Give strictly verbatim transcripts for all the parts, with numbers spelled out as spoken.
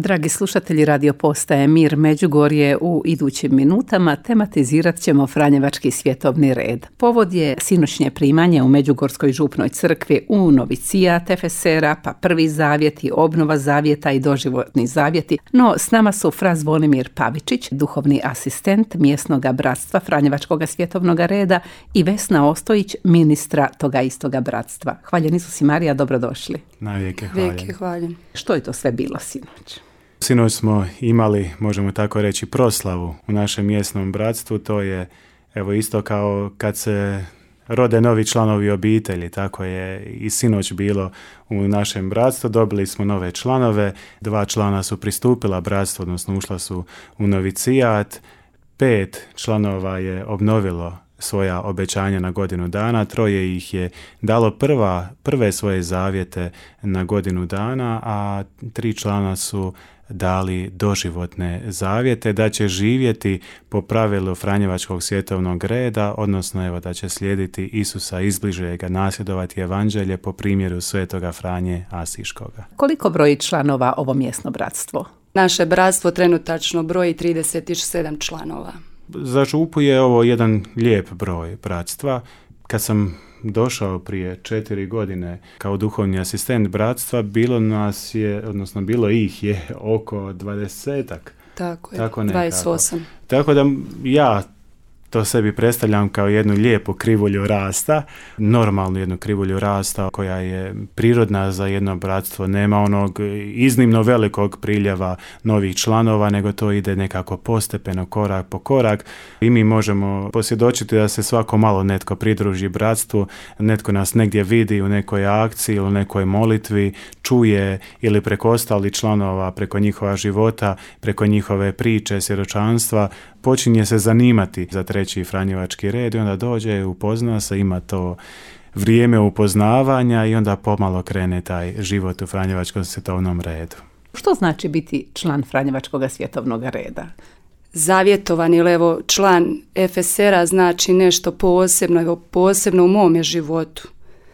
Dragi slušatelji Radio Postaje Mir Međugorje, u idućim minutama tematizirat ćemo Franjevački svjetovni red. Povod je sinoćnje primanje u Međugorskoj župnoj crkvi u novicijat Efesera, pa prvi zavjeti, obnova zavjeta i doživotni zavjeti. No, s nama su fra Zvonimir Pavičić, duhovni asistent mjesnog bratstva Franjevačkog svjetovnog reda, i Vesna Ostojić, ministra toga istoga bratstva. Hvaljen Isus i Marija, dobrodošli. Navijeke hvaljen. Vijeke hvaljen. Što je to sve bilo sinoć? Sinoć smo imali, možemo tako reći, proslavu u našem mjesnom bratstvu. To je evo isto kao kad se rode novi članovi obitelji, tako je i sinoć bilo u našem bratstvu. Dobili smo nove članove, dva člana su pristupila bratstvu, odnosno ušla su u novicijat, pet članova je obnovilo svoja obećanja na godinu dana, troje ih je dalo prva, prve svoje zavjete na godinu dana, a tri člana su dali doživotne zavjete da će živjeti po pravilu Franjevačkog svjetovnog reda, odnosno evo da će slijediti Isusa izbliže, ga nasljedovati evanđelje po primjeru svetoga Franje Asiškoga. Koliko broji članova ovo mjesno bratstvo? Naše bratstvo trenutačno broji trideset sedam članova. Za župu je ovo jedan lijep broj bratstva. Kad sam došao prije četiri godine kao duhovni asistent bratstva, bilo nas je, odnosno bilo ih je oko dvadesetak. Tako je, tako dvadeset osam. Tako da ja to sebi predstavljam kao jednu lijepu krivulju rasta, normalnu jednu krivulju rasta koja je prirodna za jedno bratstvo. Nema onog iznimno velikog priljeva novih članova, nego to ide nekako postepeno, korak po korak. I mi možemo posvjedočiti da se svako malo netko pridruži bratstvu, netko nas negdje vidi u nekoj akciji ili u nekoj molitvi, čuje ili preko ostalih članova, preko njihova života, preko njihove priče, svjedočanstva, počinje se zanimati za treći Franjevački red i onda dođe, upozna se, ima to vrijeme upoznavanja i onda pomalo krene taj život u Franjevačkom svjetovnom redu. Što znači biti član Franjevačkog svjetovnog reda? Zavjetovan ili evo član Efesera znači nešto posebno, evo posebno u mome životu.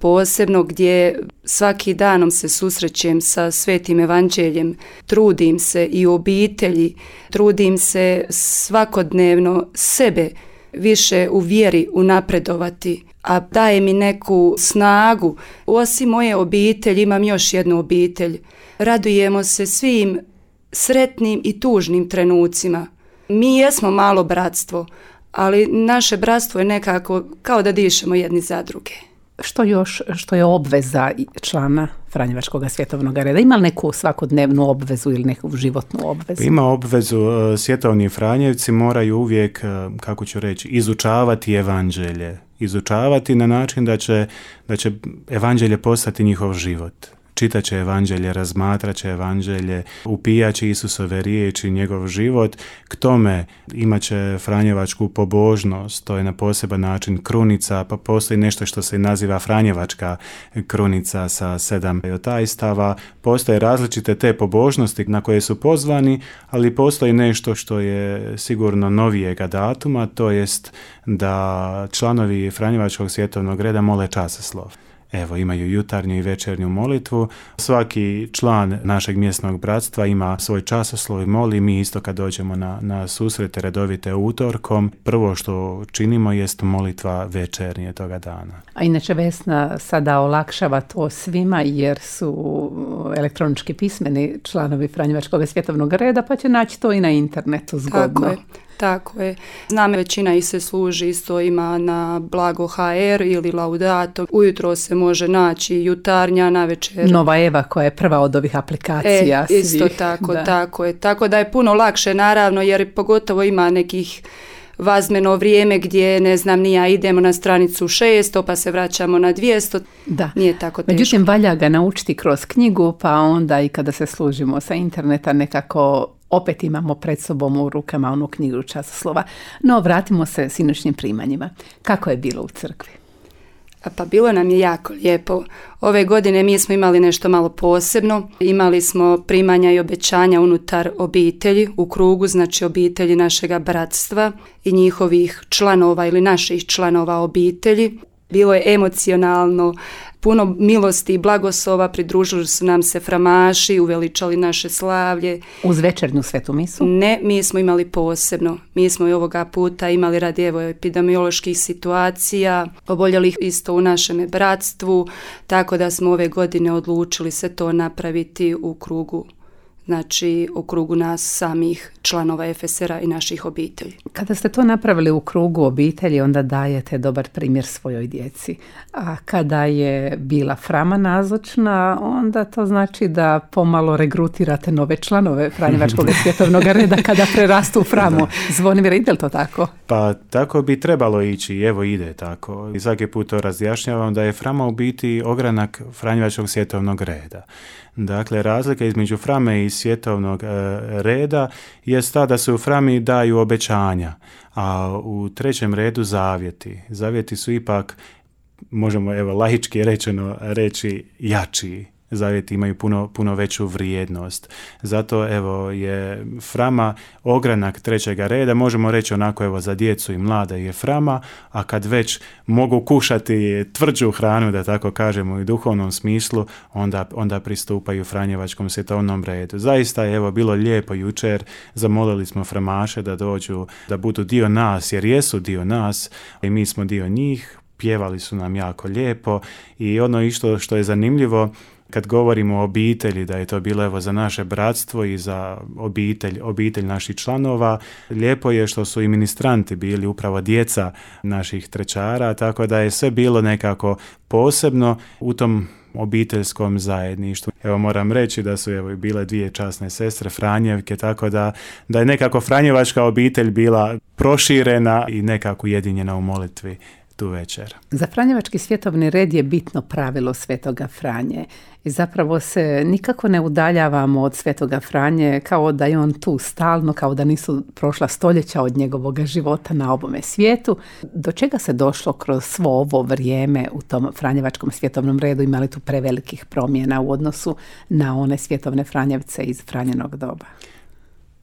Posebno gdje svaki danom se susrećem sa svetim evanđeljem, trudim se i u obitelji, trudim se svakodnevno sebe više u vjeri unapredovati, a daje mi neku snagu. Osim moje obitelji imam još jednu obitelj. Radujemo se svim sretnim i tužnim trenucima. Mi jesmo malo bratstvo, ali naše bratstvo je nekako kao da dišemo jedni za druge. Što još, što je obveza člana Franjevačkog svjetovnog reda? Ima li neku svakodnevnu obvezu ili neku životnu obvezu? Ima obvezu. Svjetovni Franjevci moraju uvijek, kako ću reći, izučavati evanđelje. Izučavati na način da će, da će evanđelje postati njihov život. Čitat će evanđelje, razmatrat će evanđelje, upijat će Isusove riječi, njegov život. K tome imat će Franjevačku pobožnost, to je na poseban način krunica, pa postoji nešto što se naziva Franjevačka krunica sa sedam otajstava. Postoje različite te pobožnosti na koje su pozvani, ali postoji nešto što je sigurno novijega datuma, to jest da članovi Franjevačkog svjetovnog reda mole časoslov. Evo, imaju jutarnju i večernju molitvu. Svaki član našeg mjesnog bratstva ima svoj časoslov i moli. Mi isto kad dođemo na, na susrete redovite utorkom, prvo što činimo jest molitva večernje toga dana. A inače Vesna sada olakšava to svima jer su elektronički pismeni članovi Franjevačkog svjetovnog reda, pa će naći to i na internetu zgodno. Tako je. Tako je. Znam, većina ih se služi, isto ima na Blago ha er ili Laudato. Ujutro se može naći jutarnja, navečer. Nova Eva koja je prva od ovih aplikacija. E, isto svih. tako, da. tako je. Tako da je puno lakše, naravno, jer pogotovo ima nekih vazmeno vrijeme gdje, ne znam, ni ja idemo na stranicu šesto pa se vraćamo na dvjesto. Da. Nije tako teško. Međutim, valja ga naučiti kroz knjigu, pa onda i kada se služimo sa interneta nekako opet imamo pred sobom u rukama onu knjigu časoslova. No, vratimo se sinoćnim primanjima. Kako je bilo u crkvi? Pa bilo nam je jako lijepo. Ove godine mi smo imali nešto malo posebno. Imali smo primanja i obećanja unutar obitelji, u krugu, znači obitelji našega bratstva i njihovih članova ili naših članova obitelji. Bilo je emocionalno, puno milosti i blagoslova, pridružili su nam se framaši, uveličali naše slavlje. Uz večernju svetu misu? Ne, mi smo imali posebno. Mi smo i ovoga puta imali radi evo epidemioloških situacija, oboljelih isto u našem bratstvu, tako da smo ove godine odlučili se to napraviti u krugu, znači u krugu nas samih članova F S R-a i naših obitelji. Kada ste to napravili u krugu obitelji, onda dajete dobar primjer svojoj djeci. A kada je bila Frama nazočna, onda to znači da pomalo regrutirate nove članove Franjevačkog svjetovnog reda kada prerastu u Framu. Zvonimir, ide li to tako? Pa tako bi trebalo ići, evo ide tako. I svaki put to razjašnjavam da je Frama u biti ogranak Franjevačkog svjetovnog reda. Dakle, razlika između Frame i svjetovnog e, reda je ta da se u Frami daju obećanja, a u trećem redu zavjeti. Zavjeti su ipak, možemo evo laički rečeno reći, jači. Zavjeti imaju puno, puno veću vrijednost. Zato evo je Frama ogranak trećega reda, možemo reći onako evo za djecu i mlade je Frama, a kad već mogu kušati tvrđu hranu, da tako kažemo u duhovnom smislu, onda, onda pristupaju Franjevačkom svjetovnom redu. Zaista je evo bilo lijepo jučer, zamolili smo framaše da dođu, da budu dio nas, jer jesu dio nas i mi smo dio njih, pjevali su nam jako lijepo i ono isto što je zanimljivo, kad govorimo o obitelji, da je to bilo evo za naše bratstvo i za obitelj, obitelj naših članova, lijepo je što su i ministranti bili upravo djeca naših trećara, tako da je sve bilo nekako posebno u tom obiteljskom zajedništvu. Evo moram reći da su evo bile dvije časne sestre Franjevke, tako da, da je nekako Franjevačka obitelj bila proširena i nekako ujedinjena u molitvi tu večer. Za Franjevački svjetovni red je bitno pravilo Svetoga Franje i zapravo se nikako ne udaljavamo od Svetoga Franje kao da je on tu stalno, kao da nisu prošla stoljeća od njegovog života na ovome svijetu. Do čega se došlo kroz svo ovo vrijeme u tom Franjevačkom svjetovnom redu? Ima li tu prevelikih promjena u odnosu na one svjetovne Franjevce iz Franjenog doba?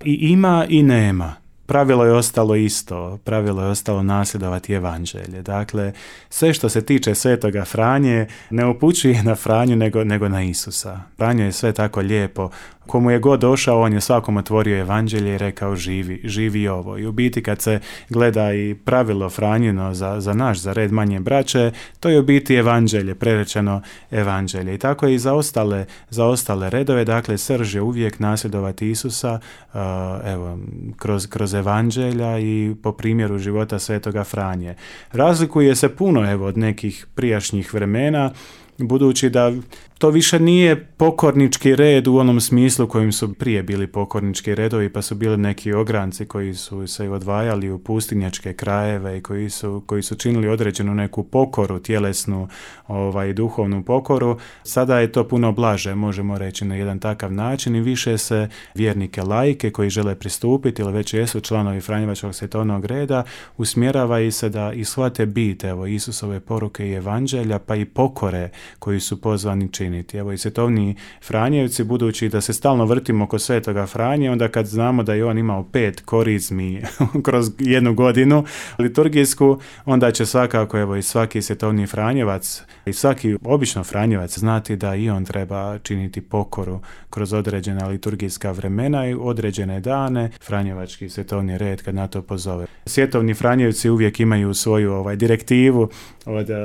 I ima i nema. Pravilo je ostalo isto, pravilo je ostalo nasljedovati evanđelje. Dakle, sve što se tiče Svetoga Franje ne upućuje na Franju nego, nego na Isusa. Franjo je sve tako lijepo. Komu je god došao, on je svakom otvorio evanđelje i rekao živi, živi ovo. I u biti kad se gleda i pravilo Franjino za, za naš, za red manje braće, to je u biti evanđelje, prerečeno evanđelje. I tako je i za ostale, za ostale redove, dakle srž je uvijek nasljedovati Isusa uh, evo, kroz, kroz evanđelja i po primjeru života Svetoga Franje. Razlikuje se puno evo, od nekih prijašnjih vremena, budući da to više nije pokornički red u onom smislu kojim su prije bili pokornički redovi, pa su bili neki ogranci koji su se odvajali u pustinjačke krajeve i koji su, koji su činili određenu neku pokoru, tjelesnu ovaj, duhovnu pokoru. Sada je to puno blaže, možemo reći na jedan takav način i više se vjernike laike koji žele pristupiti ili već jesu članovi Franjevačkog svjetovnog reda, usmjerava i se da ishvate bit evo, Isusove poruke i evanđelja pa i pokore koji su pozvani činiti. Evo i svjetovni Franjevci, budući da se stalno vrtimo oko Svetoga Franje, onda kad znamo da je on imao pet korizmi kroz jednu godinu liturgijsku, onda će svakako evo i svaki svjetovni Franjevac i svaki obično Franjevac znati da i on treba činiti pokoru kroz određena liturgijska vremena i određene dane, Franjevački svjetovni red kad na to pozove. Svjetovni Franjevci uvijek imaju svoju ovaj, direktivu od uh,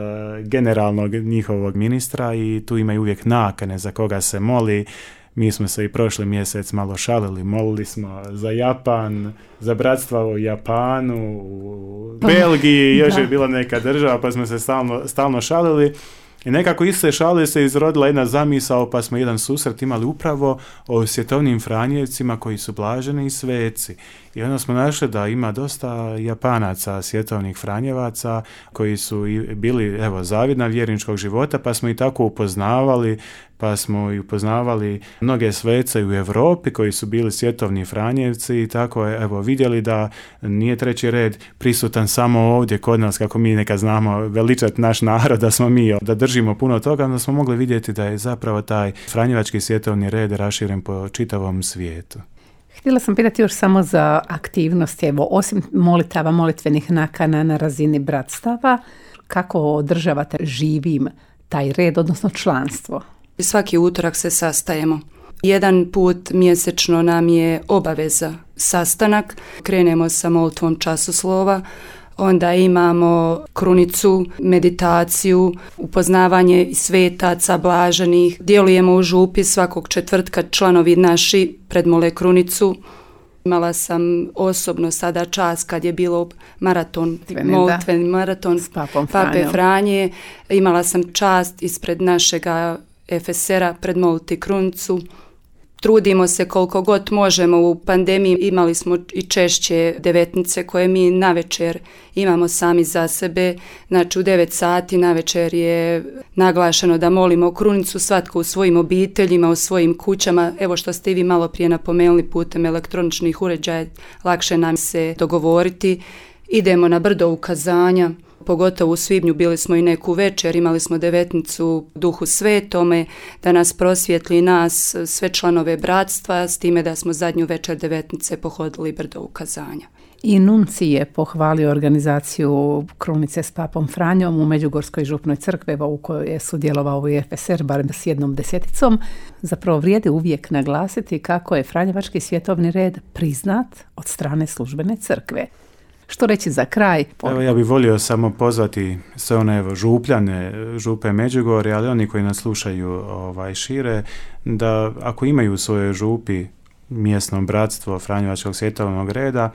generalnog njihovog ministra i tu imaju uvijek nakane za koga se moli. Mi smo se i prošli mjesec malo šalili, molili smo za Japan, za bratstva u Japanu, u Belgiji, još je bila neka država pa smo se stalno, stalno šalili. I nekako iz se šale se izrodila jedna zamisao, pa smo jedan susret imali upravo o svjetovnim Franjevcima koji su blaženi i sveci. I onda smo našli da ima dosta Japanaca, svjetovnih Franjevaca, koji su bili evo, zavidna vjerničkog života, pa smo i tako upoznavali, pa smo i upoznavali mnoge svece u Europi koji su bili svjetovni Franjevci i tako evo, vidjeli da nije treći red prisutan samo ovdje kod nas, kako mi nekad znamo veličati naš narod, da smo mi, da držimo puno toga, onda smo mogli vidjeti da je zapravo taj Franjevački svjetovni red raširen po čitavom svijetu. Htjela sam pitati još samo za aktivnosti, evo, osim molitava, molitvenih nakana na razini bratstava, kako održavate živim taj red, odnosno članstvo? Svaki utorak se sastajemo. Jedan put mjesečno nam je obaveza sastanak. Krenemo sa molitvom časoslova, onda imamo krunicu, meditaciju, upoznavanje svetaca, blaženih. Djelujemo u župi svakog četvrtka, članovi naši predmole krunicu. Imala sam osobno sada čast kad je bilo maraton, molitveni maraton s papom Pape Franje. Imala sam čast ispred našega F S R-a predmoliti krunicu. Trudimo se koliko god možemo. U pandemiji imali smo i češće devetnice koje mi navečer imamo sami za sebe. Znači u devet sati navečer je naglašeno da molimo krunicu, svatko u svojim obiteljima, u svojim kućama. Evo što ste i vi malo prije napomenuli, putem elektroničnih uređaja lakše nam se dogovoriti. Idemo na brdo ukazanja. Pogotovo u svibnju bili smo i neku večer, imali smo devetnicu Duhu Svetome, da nas prosvjetli nas, sve članove bratstva, s time da smo zadnju večer devetnice pohodili brdo ukazanja. I Nunci je pohvalio organizaciju krunice s papom Franjom u Međugorskoj župnoj crkvi, u kojoj je sudjelovao i F S R barem s jednom deseticom. Zapravo vrijedi uvijek naglasiti kako je Franjevački svjetovni red priznat od strane službene crkve. Što reći za kraj? Evo, ja bih volio samo pozvati sve one evo, župljane, župe Međugorje, ali oni koji nas slušaju ovaj, šire, da ako imaju u svojoj župi mjesno bratstvo Franjevačkog svjetovnog reda,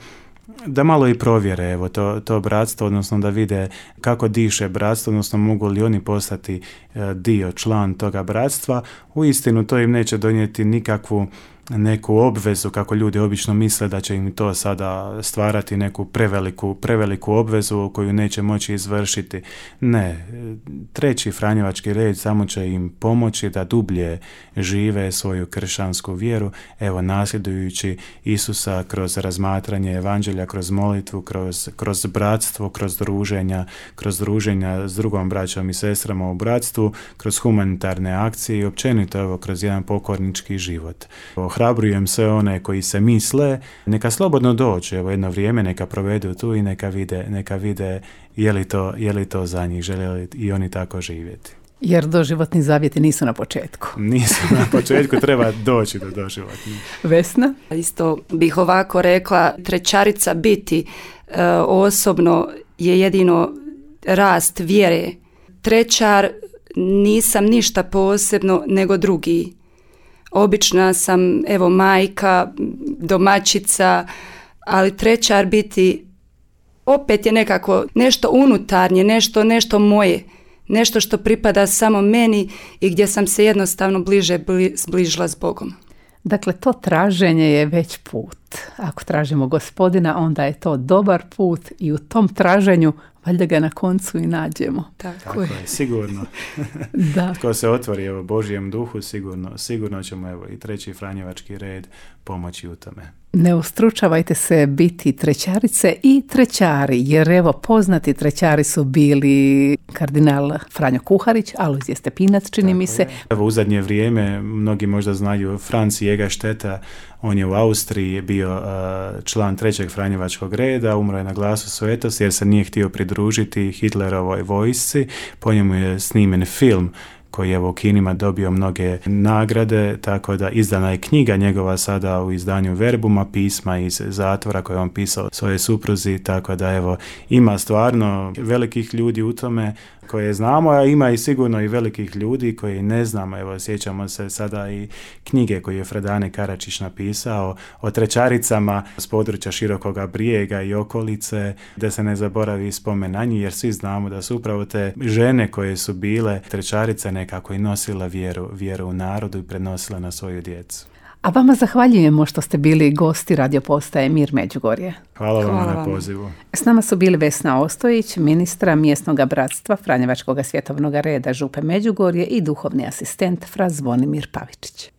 da malo i provjere evo, to, to bratstvo, odnosno da vide kako diše bratstvo, odnosno mogu li oni postati e, dio, član toga bratstva. Uistinu to im neće donijeti nikakvu neku obvezu, kako ljudi obično misle da će im to sada stvarati neku preveliku, preveliku obvezu koju neće moći izvršiti. Ne, treći Franjevački red samo će im pomoći da dublje žive svoju kršćansku vjeru, evo nasljedujući Isusa kroz razmatranje evanđelja, kroz molitvu, kroz, kroz bratstvo, kroz druženja, kroz druženja s drugom braćom i sestrama u bratstvu, kroz humanitarne akcije i općenito evo, kroz jedan pokornički život. Ohrabrujem sve one koji se misle, neka slobodno dođe, evo jedno vrijeme neka provedu tu i neka vide, neka vide je li to, je li to za njih, žele li i oni tako živjeti. Jer doživotni zavjeti nisu na početku. Nisu na početku, treba doći do doživotnih. Vesna? Isto bih ovako rekla, trećarica biti e, osobno je jedino rast vjere. Trećar nisam ništa posebno nego drugi. Obična sam, evo, majka, domaćica, ali trećar biti opet je nekako nešto unutarnje, nešto, nešto moje, nešto što pripada samo meni i gdje sam se jednostavno bliže zbližila s Bogom. Dakle, to traženje je već put. Ako tražimo Gospodina, onda je to dobar put i u tom traženju valjda ga na koncu i nađemo. Tako, Tako je, sigurno. Da. Tko se otvori evo, Božjem duhu, sigurno, sigurno ćemo evo, i treći Franjevački red pomoći u tome. Ne ustručavajte se biti trećarice i trećari, jer evo poznati trećari su bili kardinal Franjo Kuharić, Alojzije Stepinac, čini Tako mi se. Je. Evo u zadnje vrijeme, mnogi možda znaju, Franz Jägerstätter, on je u Austriji bio uh, član trećeg Franjevačkog reda, umro je na glasu svetosti jer se nije htio pridružiti Hitlerovoj vojsci, po njemu je snimen film koji je u kinima dobio mnoge nagrade, tako da izdana je knjiga njegova sada u izdanju Verbuma, pisma iz zatvora koje je on pisao svoje supruzi, tako da evo ima stvarno velikih ljudi u tome koje znamo, a ima i sigurno i velikih ljudi koji ne znamo. Evo, sjećamo se sada i knjige koju je Fredane Karačić napisao o trećaricama s područja Širokoga Brijega i okolice, da se ne zaboravi spomen na njih, jer svi znamo da su upravo te žene koje su bile trećarice nekako i nosile vjeru, vjeru u narodu i prenosile na svoju djecu. A vama zahvaljujemo što ste bili gosti radio postaje Mir Međugorje. Hvala vam Hvala na vam. pozivu. S nama su bili Vesna Ostojić, ministra mjesnog bratstva Franjevačkog svjetovnog reda Župe Međugorje i duhovni asistent Fra Zvonimir Pavičić.